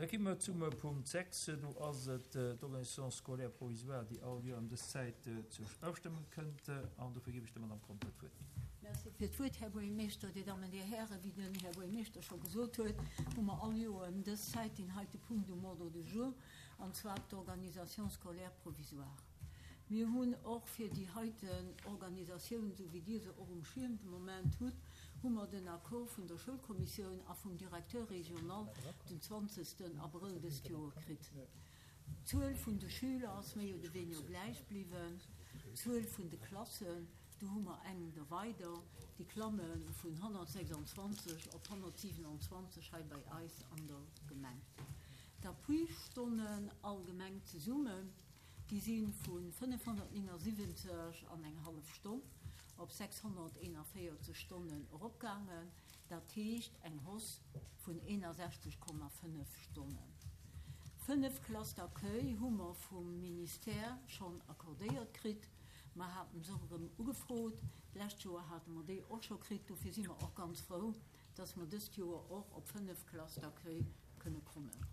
Da gi mer zum Punkt 6. Do ass et d'Organisation scolaire provisoire, déi all Joer ëm dës Zäit zur Ofstëmmung kënnt. An dofir ginn ech der Madame Conter d'Wuert. Merci fir d'Wuert, Här Buergermeeschter, Dir Dammen, Dir Hären. Wéi den Här Buergermeeschter scho gesot huet, hu mer all Joer ëm dës Zäit deen heite Punkt um Ordre du jour, an zwar d'Organisation scolaire provisoire. Mir hunn och fir déi heiten Organisatioun, esou wéi Dir se och um Schierm de Moment hutt, hu mer den Accord vun der Schoulkommissioun a vum Directeur régional den 20. Abrëll dëst Joer kritt. D'Zuel vun de Schüler ass méi oder weniger gläich bliwwen. D'Zuel vun de Klassen, do hu mer eng der weider, déi klamme vun 126 op 127 hei bei eis an der Gemeng. D'Appuistonnen allgemeng zesummen, Déi si vu 579 an eng hallef Stonn op 641 Stonnen eropgaangen, dat heescht eng Hausse vun 61,5 Stonnen. Fënnef Classes d'accueil hu mer vum Ministère schonn accordéiert kritt. Mer haten se och erëm ugefrot. D'lescht Joer hate mer déi och scho kritt. Dofir si mer och ganz frou, dass mer dëst Joer och op fënnef Classes d'accueil kënne kommen.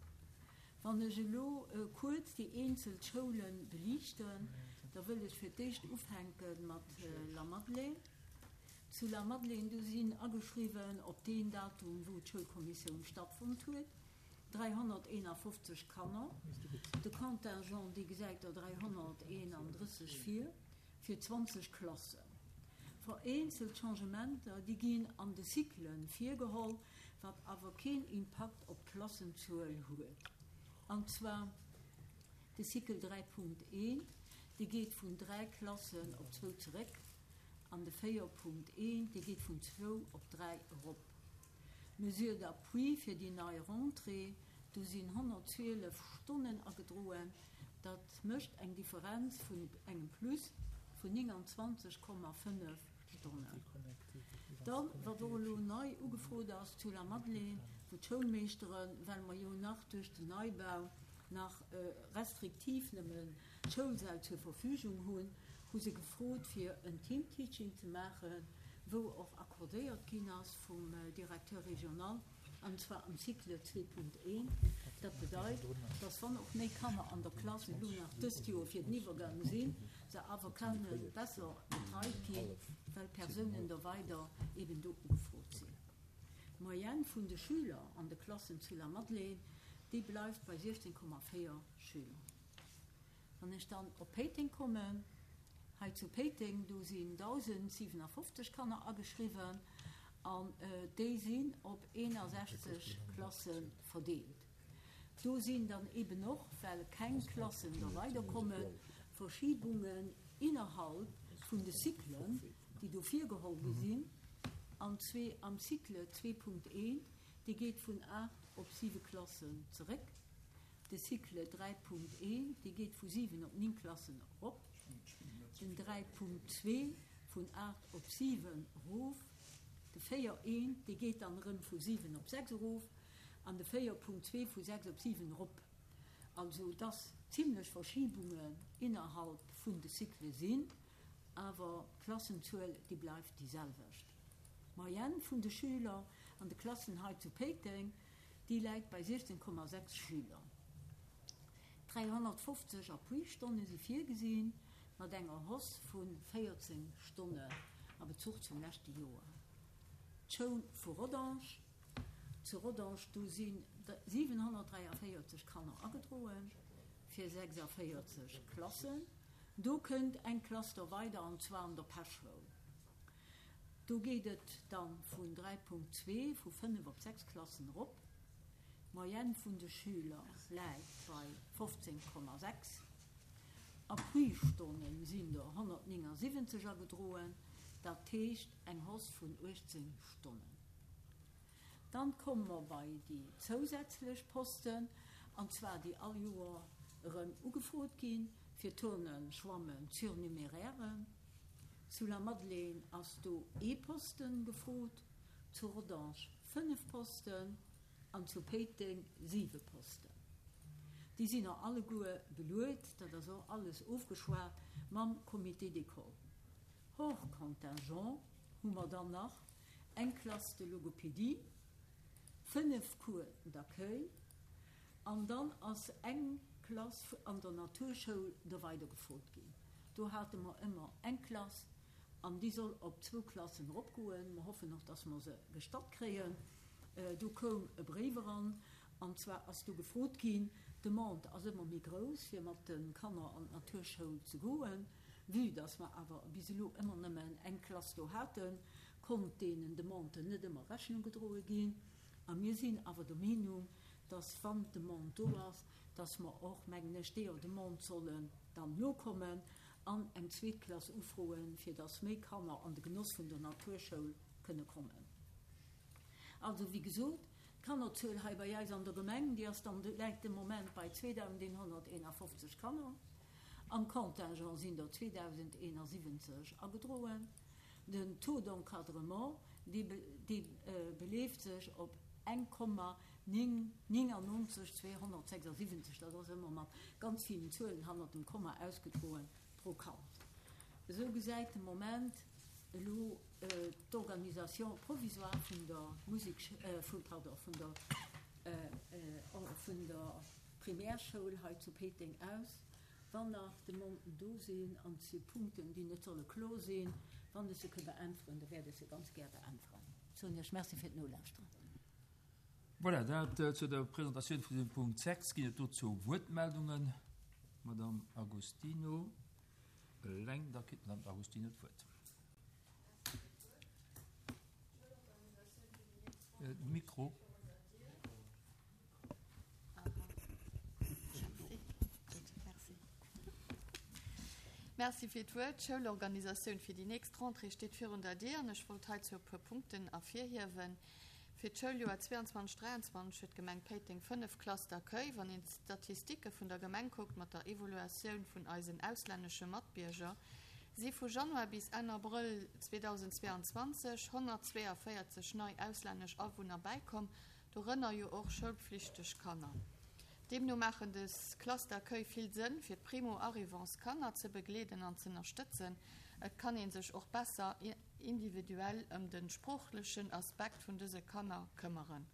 Wann ech elo kuerz déi eenzel Schoule beliichten, da wëll ech fir d'éischt ufänke mat Lamadelaine. Zu Lamadelaine, do sinn ageschriwwen op deen Datum, wou d'Schoulkommissioun stattfonnt huet, 351 Kanner. De Contingent, dee gesäit der 331 vir, fir 20 Klassen. Vereenzelt Changementer, déi ginn an de Cyclen virgeholl, wat awer keen Impakt op d'Klassenzuel huet. An zwar de Cycle 3.1, dee geet vun 3 Klassen op zwou zeréck, an de 4.1, dee geet vun zwou op 3 erop. Mesure d'appui fir déi nei Rentrée, do sinn 112 Stonnen agedroen, dat mécht eng Differenz vun engem Plus vun 29,5 Stonnen. Dann, wat och elo nei ugefrot ass zu Lamadelaine, wou d'Schoulmeeschteren, well mer jo nach duerch den Neibau nach restriktiv nëmmen d'Schoulsäll zur Verfügung hunn, hu se gefrot fir en Teamteaching ze maachen, wou och accordéiert ginn ass vum Directeur régional. An zwar am Cycle 2.1. Dat bedeit, dass wann och méi Kanner an der Klass elo nach dëst Joer fir den Iwwergang sinn, se awer kenne besser betreit ginn, well Persounen da weider eben do ugefrot sinn. D'Moyenne vun de Schüler an de Klassen zu Lamadelaine, déi bleift bei 16,4 Schüler. Wann ech dann op Péiteng kommen, hei zu Péiteng, do sinn 1.057 Kanner ageschriwwen an déi sinn op 61 Klasse verdeelt. Do sinn dann eben och, well keng Klassen da weiderkommen, Verschibungen innerhalb vun de Cyclen, déi do virgeholl gi sinn, an zwee am Cycle 2.1, dee geet vun 8 op 7 Klassen zeréck. De Cycle 3.1, dee geet vu 7 op 9 Klassen erop, den 3.2 vun 8 op 7 erof, de 4.1, dee geet dann erëm vu 7 op 6 erof an de 4.2 vu 6 op 7 erop. Also dass zimlech Verschibungen innerhalb vun de Cycle sinn, awer d'Klassenzuel, déi bleift déi selwecht. D'Moyenne vun de Schüler an de Klassen hei zu Péiteng, Déi läit bei 16,6 Schüler. 350 Appui-Stonne si virgesinn, mat enger Hausse vu 14 Stonnen a Bezuch zum leschte Joer. D'Schoul vu Rodange, Zu Rodange, do si 743 Kanner agedroen, fir 46 Klassen. Do kënnt eng Klass der weider, an zwar an der Peschschoul. Do geet et da vun 3,2 vu 5 op 6 Klassen erop. D'Moyenne vun de Schüler läit bei 15,6. Appui-Stonne sinn der 179 agedroen, dat heescht eng Hausse vun 18 Stonnen. Dann komme mer bei déi zousätzlech Posten, an zwar déi all Joer erëm ugefrot ginn, fir Turnen, Schwammen, d'Surnumérären. Zu Lamadelaine ass do ee Posten gefrot, zu Rodange 5 Posten an zu Péiteng 7 Posten. Déi sinn och alleguer beluet, dat ass och alles ofgeschwat mam Comité d'école. Hors contingent hu mer dann nach eng Classe de logopédie, 5 Cours d'accueil. An dann ass eng Klass an der Naturschoul do weidergefrot ginn. Do hate mer ëmmer eng Klass an déi soll op zwou Klassen eropgoen. Mer hoffen och, dass mer se gestatt kréien. Do koum e Bréif eran an zwar ass do gefrot ginn, d'Demande ass ëmmer méi grouss fir mat de Kanner an d'Naturschoul ze goen. Vue dass mer awer bis elo ëmmer nëmmen eng Klass do haten, konnt deenen Demanden net ëmmer Rechnung gedroe ginn. A mir sinn awer der Meenung, dass wann d'Demande do ass, dass mer och, mengen ech, deeër Demande sollen dann nokommen an eng zweet Klass ufroen, fir dass méi Kanner an de Genoss vun der Naturschoul kënne kommen. Also, wéi gesot, d'Kannerzuel hei bei eis an der Gemeng, déi ass dann, läit de Moment bei 2.151 Kanner. Am Contingent sinn der 2.071 agedroen. Den Taux d'encadrement, dee beleeft sech op 1,99 276, dat ass ëmmer mat ganz villen Zuelen hannert dem Komma ausgedroen, pro Kand. Esou gesäit de Moment elo d'Organisation provisoire vun der Musek, pardon, vun der, vun der Primärschoul hei zu Péiteng aus. Wann nach Demanden do sinn, an et si Punkten, déi net solle klo sinn, wann ech se ke beäntweren, da wäert ech se ganz gär beäntweren. Soen Iech Merci fir d'Nolauschteren. Voilà, dat zu der Presentatioun vun dem Punkt 6. Ginn et dozou Wuertmeldungen? Madamm Agostino eleng, da kritt d'Madamm Agostino d'Wuert. Mikro. Merci fir d'Wuert. D'Schoulorganisatioun fir déi nächst Rentrée steet virun der Dier an ech wollt heizou e puer Punkten ervirhiewen. Fir d'Schouljoer 22, 23 huet d'Gemeng Péiteng 5 Classes d'accueil. Wann een d'Statistike vun der Gemeng kuckt mat der Evaluatioun vun eisen auslännesche Matbierger, si vu Januar bis Enn Abrëll 2022 142 nei auslännesch Awunner bäikomm, Dorënner jo och schoulpflichteg Kanner. Deemno maachen des Classes d'accueil vill Sënn, fir d'Primo-arrivants Kanner ze begleeden an z'ënnerstëtzen. Et kann een sech och besser individuell ëm de sproochlechen Aspekt vun dëse Kanner këmmeren.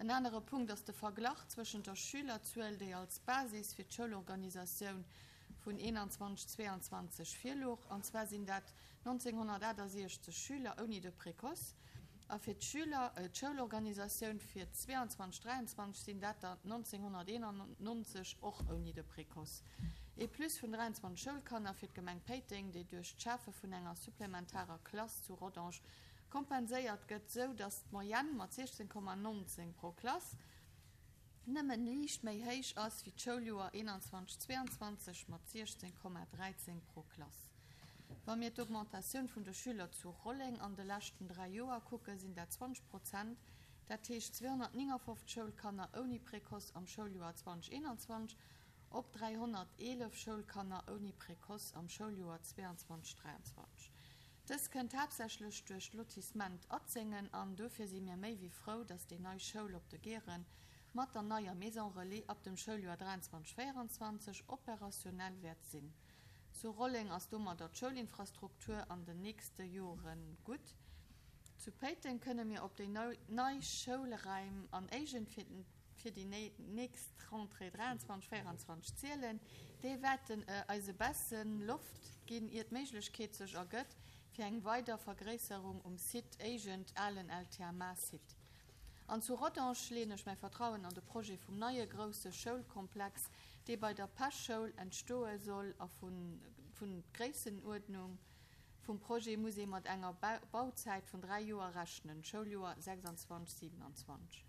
En anere Punkt ass de Verglach zwëschent der Schülerzuel, déi als Basis fir d'Schoulorganisatioun vun 21, 22 virlouch, an zwar sinn dat 1968 Schüler ouni de Précoce, A fir d'Schüler, d'Schoulorganisatioun fir 22, 23 sinn dat der 1991, och ouni de Précoce. Ee Plus vun 23 Schoulkanner fir d'Gemeng Péiteng, déi duerch d'Schafe vun enger supplementarer Klass zu Rodange kompenséiert gëtt, sou datt d'Moyenne mat 16,19 pro Klass nëmmen liicht méi héich ass wéi d'Schouljoer 21, 22 mat 16,13 pro Klass. Wa mir d'Augmentatioun vun de Schüler zu Rolleng an de leschten 3 Joer kucken, sinn dat 20 Prozent, dat heescht 259 Schoulkanner ouni Précoce am Schouljoer 2021 op 311 Schoulkanner ouni Précoce am Schouljoer 22, 23. Dës kënnt haaptsächlech duerch d'Lotissement Atzengen an dofir si mir méi wéi frou, dass déi nei Schoul op de Geeren mat der neier Maison Relais ab dem Schouljoer 23, 24 opérationnel wäert sinn. Zu Rolleng ass domadder d'Schoulinfrastruktur an den nächste Jore gutt. Zu Péiteng kënne mir op déi nei Schoulraim an Éigent fir déi nächst Rentrée 23, 24 zielen. Déi wäerten eis e bessen Loft ginn, ier d'Méiglechkeet sech ergëtt fir eng weider Vergréisserung um Site Éigent, alen LTMA-Site. An zu Rodange leeën ech mäi Vertrauen an de Projet vum neie grousse Schoulkomplex, dee bei der Pesch-Schoul entstoe soll a vun d'Gréissenuerdnung vum Projet muss ee mat enger Bauzäit vun 3 Joer rechnen, Schouljoer 26, 27.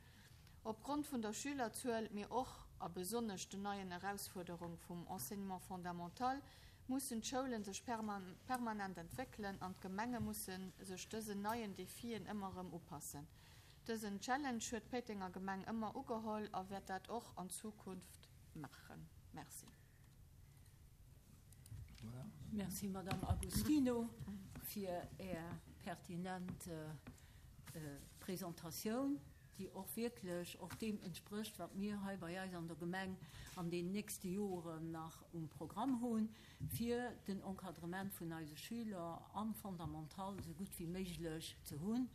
Opgrond vun der Schülerzuel, mee och a besonnesch den neien Erausfuerderung vum Enseignement fondamental mussen d'Schoulen sech permanent entwéckelen an d'Gemenge musse sech dësen neien Defien ëmmer erëm upassen. Dësen Challenge huet d'Péitenger Gemeng ëmmer ugeholl a wäert dat och an Zukunft maachen. Merci. Merci, Madame Agostino, fir Är pertinent Presentatioun, déi och wierklech och deem entsprécht, wat mir hei bei eis an der Gemeng an den nächste Joren nach um Programm hunn, fir den Encadrement vun eise Schüler am Fondamental esou gutt wéi méiglech ze hunn.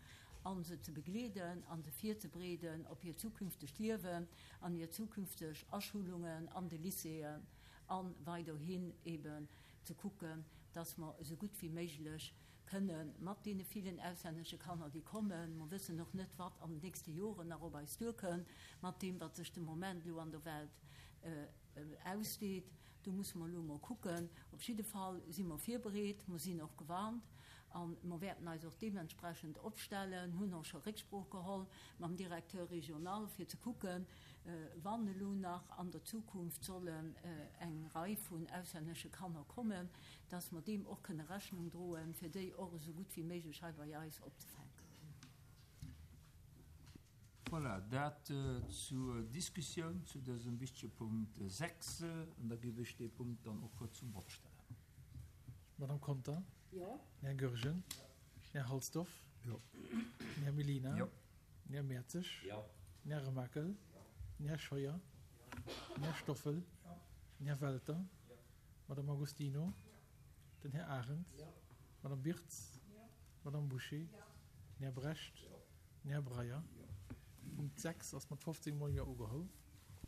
a se ze begleeden a se virzebereeden op hiert zukünftegt Liewen an hir zukünfteg Aschulungen an de Lycéeën a weiderhin eben ze kucken, dass mer esou gutt wéi méiglech kënne mat deene villen auslännesche Kanner, déi kommen, mer wëssen och net, wat an den nächste Joren nach op eis duerkënn, mat deem, wat sech de Moment elo an der Welt ausdeet, do musse mer elo emol kucken. Op jidde Fall si mer virbereet, mer sinn och gewarnt a mer wäerten eis och deementsprechend opstellen, hunn och scho Récksprooch geholl mam Directeur régional, fir ze kucken, wann elo nach an der Zukunft sollen eng Rei vun auslännesche Kanner kommen, dass mer deem och kënne Rechnung droen, fir déi och esou gutt wéi méiglech hei bei eis opzefänken. Voilà, dat zur Diskussioun zu dësem wichtege Punkt 6. An da géif ech dee Punkt dann och zum Vott stellen. Madame Conter? Jo. Här Goergen? Här Halsdorf? Jo. Här Mellina? Jo. Här Mertzig? Jo. Här Remakel? Jo. Här Scheuer? Jo. Här Stoffel? Jo. Här Welter? Jo. Madame Agostino? Jo. Den Här Arendt? Jo. Madame Birtz? Jo. Madame Bouché? Jo. Den Här Brecht? Jo. Den Här Breyer? Jo. Punkt 6 ass mat 15 Mol Jo ugeholl.